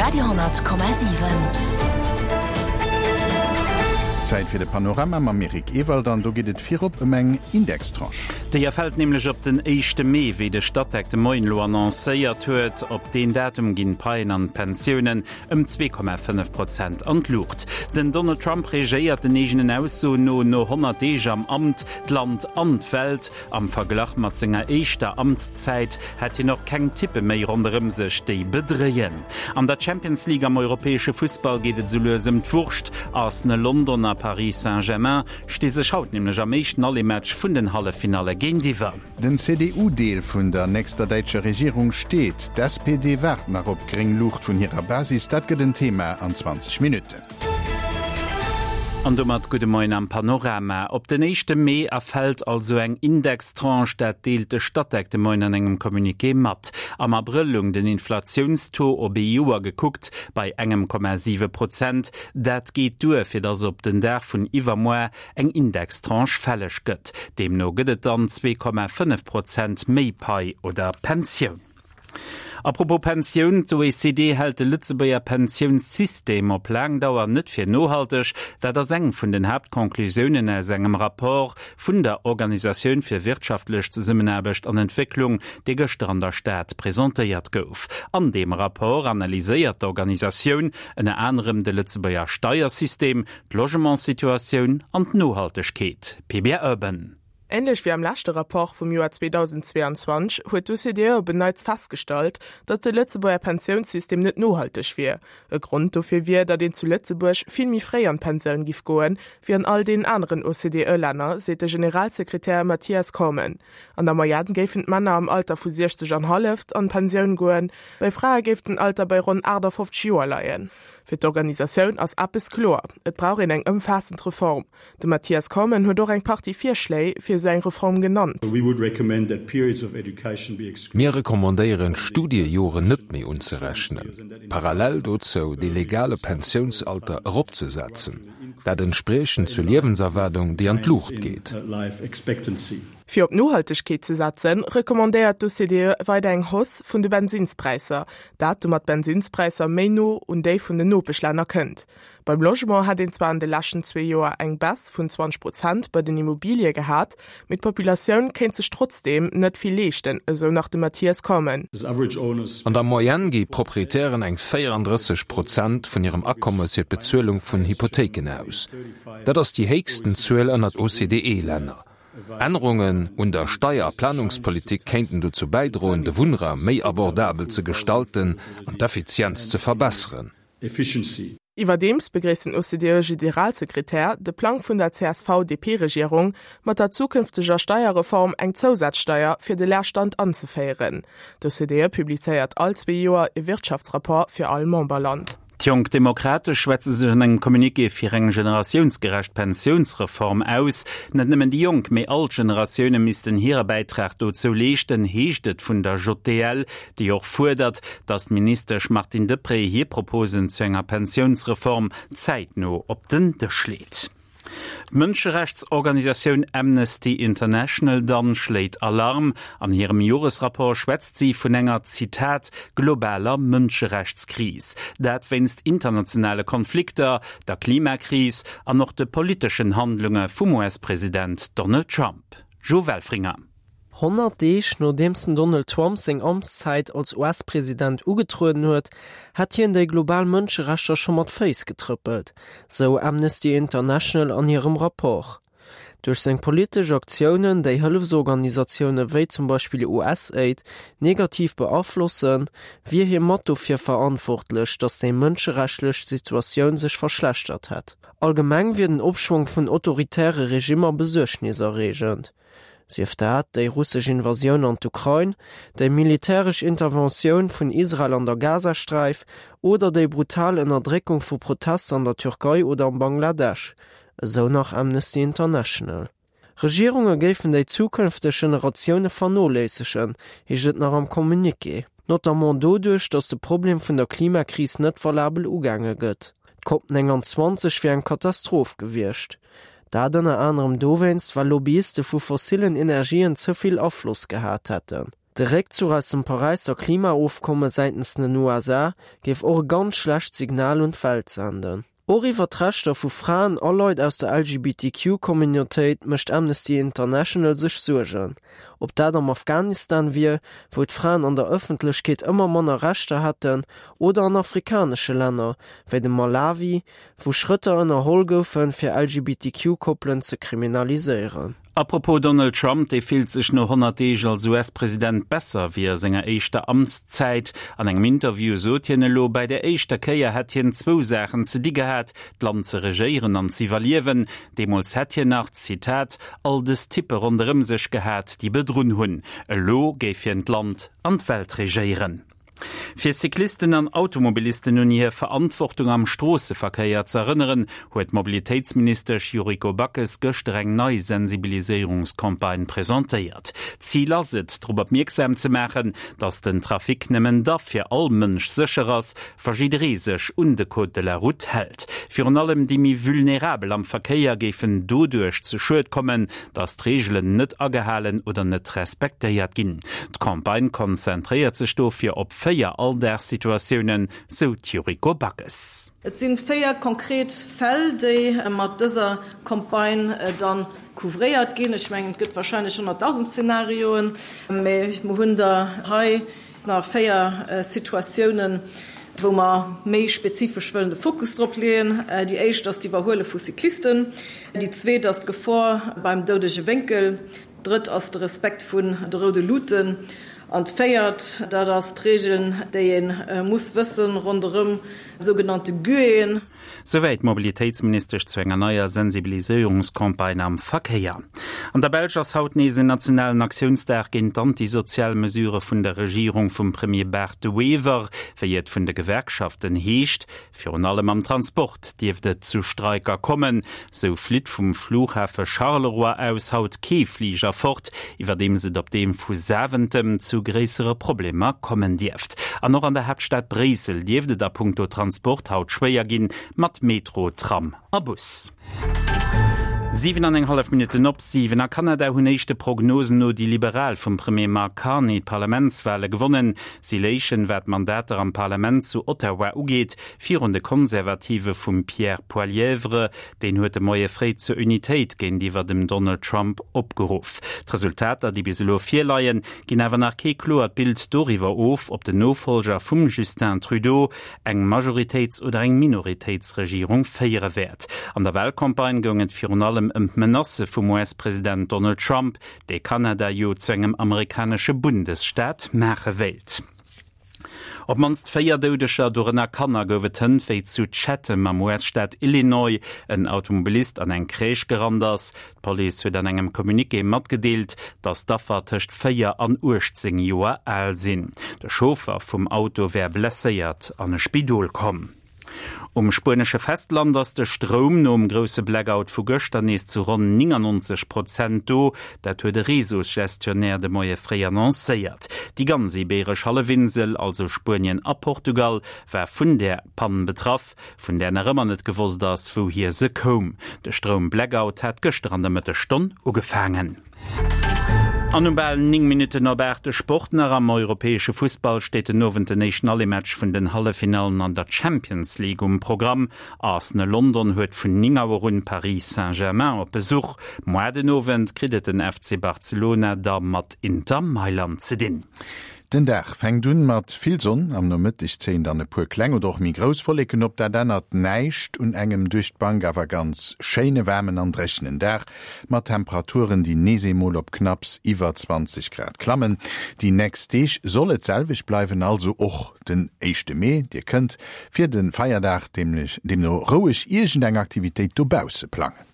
Radio,7. Zäit fir de Panorama mam Eric Ewald an do geet et virop ëm eng Indextranche. Déi erfält nämlech op den éischte Mee, wéi de Statec de Moien elo annoncéiert huet. Op deen Datum ginn d'Paien an d'Pensiounen ëm 2,5 Prozent an d'Luucht. Den Donald Trump regéiert den eegenen Aussoen no no 100 Deeg am Amt d'Land an d'Welt. Am Verglach mat senger éischter Amtszäit hätt hien och keng Typpe méi ronderëm sech, déi bedréien. An der Champions League am europäesche Fussball geet et sou lues ëm d'Wurscht. Arsenal London a Paris Saint-Germain sti sech haut nämlech am éischten Aller-Match vun den Halleffinalle géintiwwer. Den CDU-Deel vun der nächster däitscher Regierung steet. D'SPD waart nach op gréng Luucht vun hirer Basis. Dat gëtt en Thema an 20 Minutten. An domat gudde Moien am Panorama. Op den éischte Mee erfält also eng Indextranche, dat deelt de Statec de Moien an engem Communiqué mat. Am Abrëll lung den Inflatiounstaux op ee Joer gekuckt bei engem Komma 7 Prozent. Dat geet duer, fir datt op den Dag vun iwwermoar eng Indextranche fälleg gëtt. Deemno gëtt et dann 2,5 Prozent méi Pai oder Pensioun. A propos Pensioun, D'OECD hält de Lëtzebuerger Pensiounssystem op laang Dauer net fir nohalteg. Dat ass eng vun den Haaptconclusiounen aus engem Rapport vun der Organisatioun fir wirtschaftlech Zesummenaarbecht an Entwécklung, dee gëschter an der Stad presentéiert gouf. An deem Rapport analyséiert d'Organisatioun ënner anerem de Lëtzebuerger Steiersystem, d'Logementssituatioun an d'Nohaltegkeet. PBR Urban. Änlech wéi am leschte Rapport vum Joer 2022 huet d'OCDE op en Neits festgestallt, datt de Lëtzebuerger Pensiounssystem net nohalteg wier. E Grond dofir wier, datt een zu Lëtzebuerg vill méi fréi an d'Pensioun giff goen, wéi an all deenen aneren OCDE-Länner, seet de Generalsekretär Mathias Cormann. An der Moyenne géifen d'Männer am Alter vu 60 an halleft an d'Pensioun goen, bei Frae géif den Alter bei ronn 58 Joer leien. Fir d'Organisatioun ass eppes kloer, Et brauch een eng ëmfaassend Reform. De Mathias Cormann huet och eng Partie Virschléi fir esou eng Reform genannt. Mir recommandéieren, d'Studiejoren net méi unzerechnen, parallel dozou dee legale Pensiounsalter eropzesetzen, dat entspriechend zur Liewenserwaardung, déi an d'Luucht geet. Fir op Nohaltegkeet ze setzen, recommandéiert d'OCDE weider eng Hausse vun de Bensinnspräisser, dat domat d'Bensinnspräisser méi no un déi vun den Nopeschlänner kënnt. Beim Logement hätt een zwar an de leschten zwee Joer eng Baisse vun 20 Prozent bei den Immobilie gehat, mee d'Populatioun kéint sech trotzdeem net vill leeschten, esou nach de Mathias Cormann. An der Moyenne gi Proprietären eng 34 Prozent vun hirem Akommes fir d'Bezuelung vun Hypothéiken aus. Dat ass déi héchsten Zuel ënnert OCDE-Länner. Ännerungen un der Steier a Planungspolitik kéinten dozou bäidroen, de Wunnraum méi abordabel ze gestalten an d'Effizienz ze verbesseren. Efficiency. Iwwerdeems begréisst den OCDE-Gederalsekretär de Plang vun der CSV-DP-Regierung, mat der zukünfteger Steierreform eng Zousazsteier fir de Leerstand anzeféieren. D'OCDE publizéiert all zwee Joer e Wirtschaftsrapport fir all Memberland. D'Jonk Demokratesch schwätze sech an engem Communiqué fir eng generatiounsgerecht Pensiounsreform aus. Net nëmmen déi Jonk, mee all d'Generatioune missten hire Bäitrag dozou leeschten, heescht et vun der JDL. déi och fuerdert, datt d'Ministesch Martine Deprez hir Proposen zu enger Pensiounsreform zäitno op den Dësch leet. D'Mënscherechtsorganisatioun Amnesty International dann schléit Alarm. An hirem Joresrapport schwätzt si vun enger, Zitat, globaler Mënscherechtskris. Dat wéinst internationale Konflikter, der Klimakris an och de politeschen Handlunge vum US-President Donald Trump. Jo Welfringer. 100 Deeg nodeems den Donald Trump seng Amtszäit als US-President ugetrueden huet, hätt hien déi global Mënscherechter scho mat Féiss getrëppelt, sou Amnesty International an hirem Rapport. Duerch seng politesch Aktiounen, déi Hëllefsorganisatioune wéi zum Beispill USAID negativ beaflossen, wier hie mat dofir verantwortlech, datt déi mënscherechtslech Situatioun sech verschlechtert hätt. Allgemeng wier den Opschwong vun autoritäre Regimmer besuergniserreegend. Sief dat déi russesch Invasioun an d'Ukrain, déi militäresch Interventioun vun Israel an der Gazasträif oder déi brutal Ënnerdréckung vu Protester an der Türkei oder am Bangladesch, esou nach Amnesty International. Regierunge géifen déi zukënfteg Generatioune vernoléissegen, heescht et nach am Communiqué. Notamment doduerch, datt de Problem vun der Klimakris net valabel ugaange gëtt. D'Cop 29 wier eng Katastroph gewiescht. Dat ënner anerem dowéinst, well Lobbyiste vu fossillen Energien ze vill Afloss gehat hätten. De Réckzuch aus dem Paräisser Klimaofkomme säitens den USA géif och e ganz schlecht Signal un d'Welt senden. Och iwwer d'Rechter vu Fraen a Leit aus der LGBTQ-Communautéit mécht Amnesty International sech Suergen. Ob dat am Afghanistan wier, wou d'Fraen an der Ëffentlechkeet ëmmer manner Rechter hätten, oder an afrikanesche Länner, wéi dem Malawi, wou Schrëtter ënnerholl goufen, fir LGBTQ-Koppelen ze kriminaliséieren. Apropos Donald Trump, dee fillt sech no 100 Deeg als US-President besser wéi a senger éischter Amtszäit. An engem Interview sot hien elo, bäi der éischter Kéier hätt hien zwou Saachen ze di gehat, d'Land ze regéieren an z'iwwerliewen. Deemools hätt hien nach, Zitat, all dës Typpe ronderëm sech gehat, déi bedrunn hunn. Elo géif hien d'Land an d'Welt regéieren. Fir Cyclisten an Automobilisten un hir Verantwortung am Stroosseverkéier ze erënneren, huet d'Mobilitéitsministesch Yuriko Backes gëschter eng nei Sensibiliséierungscampagne presentéiert. Zil ass et, drop opmierksam ze maachen, datt den Trafic nëmmen da fir all Mënsch sécher ass, wa jidderee sech un de Code de la Route hält. Virun allem déi méi vulnerabel am Verkéier géifen doduerch zu Schued kommen, dass d'Reegelen net agehalen oder net respektéiert ginn. D'Campagne konzentréiert sech dofir op 4 Alldagssituatiounen, sou d'Yuriko Backes. Et si 4 konkret Fäll, déi mat dëser Campagne da couvréiert ginn. Ech mengen, et gëtt warscheinlech 100.000 Zenarioen, mä mer hunn der hei Nach 4 Situatiounen, wou mer méi spezifesch wëllen de Fokus drop leeën. Déi éischt ass d'Iwwerhuele vu Cyclisten. Déi zweet ass d'Gefor beim doudege Wénkel. D'drëtt ass de Respekt vun de roude Luuten. An d'véiert, dat ass d'Regeln, déi ee muss wëssen ronderëm sougenannte Guéen. Souwäit d'Mobilitéitsministesch zu enger neier Sensibiliséierungscampagne am Verkéier. An der Belsch ass haut nees en nationalen Aktiounsdag géint d'antisozial Mesurë vun der Regierung vum Premier Bart De Wever, wéi et vun de Gewerkschaften heescht. Virun allem am Transport dierft et zu Streiker kommen. Sou flitt vum Flughafe Charleroi aus haut kee Fliger fort, iwwerdeems et op deem vu Zaventem zu gréissere Problemer kommen dierft. An och an der Haaptstad Bréissel dierft et a punkto Transport haut schwéier ginn, mat Metro, Tram a Bus. 7 an eng hallef Minutten op 7. A Kanada hunn éischte Prognosen no déi Liberal vum Premier Mark Carney d'Parlamentswale gewonnen. Si léichen, wat d'Mandater am Parlament zu Ottawa ugeet, virun de Konservative vum Pierre Poilievre. Deen huet de Moie fréi zur Unitéit géintiwwer dem Donald Trump opgeruff. D'Resultater, déi bis elo virleien, ginn awer nach kee kloert Bild doriwwer of, ob den Nofollger vum Justin Trudeau eng Majoritéits oder eng Minoritéitsregierung féiere wäert. An der Walcampagne goung et virun allem ëm d'Menacë vum US-President Donald Trump, dee Kanada jo zu engem amerikanesche Bundesstaat maache wéilt. Op d'mannst 4 Doudeger, dorënner Kanner, gouf et hënt, wéi zu Chatham am US-Staat Illinois en Automobilist an eng Crèche gerannt ass. D'Police huet an engem Communiqué matgedeelt, datt d'Affer tëscht 4 an 18 Joer al sinn. De Chauffer vum Auto wär blesséiert an e Spidol komm. Um spuenesche Festland ass de Stroum nom grousse Blackout vu gëschter nees zu ronn 99 Prozent do. Dat huet e Réseausgestionnaire de Moie fréi annoncéiert. Déi ganz Ibeeresch Hallefinsel, also Spuenien a Portugal, war vun där Pann betraff, vun där nach ëmmer net gewosst ass, wouhier se koum. De Stroum-Blackout hat gëschter an der Mëttesstonn ugefaangen. An um bal 9 Minutten op 8 de Sport nach. Am europäesche Fussball steet den Owend den éischten Aller-Match vun den Halleffinallen an der Champions League um Programm. Arsenal London huet vun 9 Auer un Paris Saint-Germain op Besuch. Moar den Owend kritt et den FC Barcelona da mat Inter Mailand ze dinn. Den Dag fänkt un mat vill Sonn, am Nomëtteg zéien dann e puer kleng oder och méi grouss Wolleken op. Dat ännert näischt un engem duerch d'Bank awer ganz schéine waarmen an dréchenen Dag mat Temperaturen, déi nees eemol op knapps iwwer 20 Grad klammen. Déi nächst Deeg soll et d'selwecht bleiwen, also och den éischte Mee. Dir kënnt fir de Feierdag deemno roueg iergend eng Aktivitéit dobausse plangen.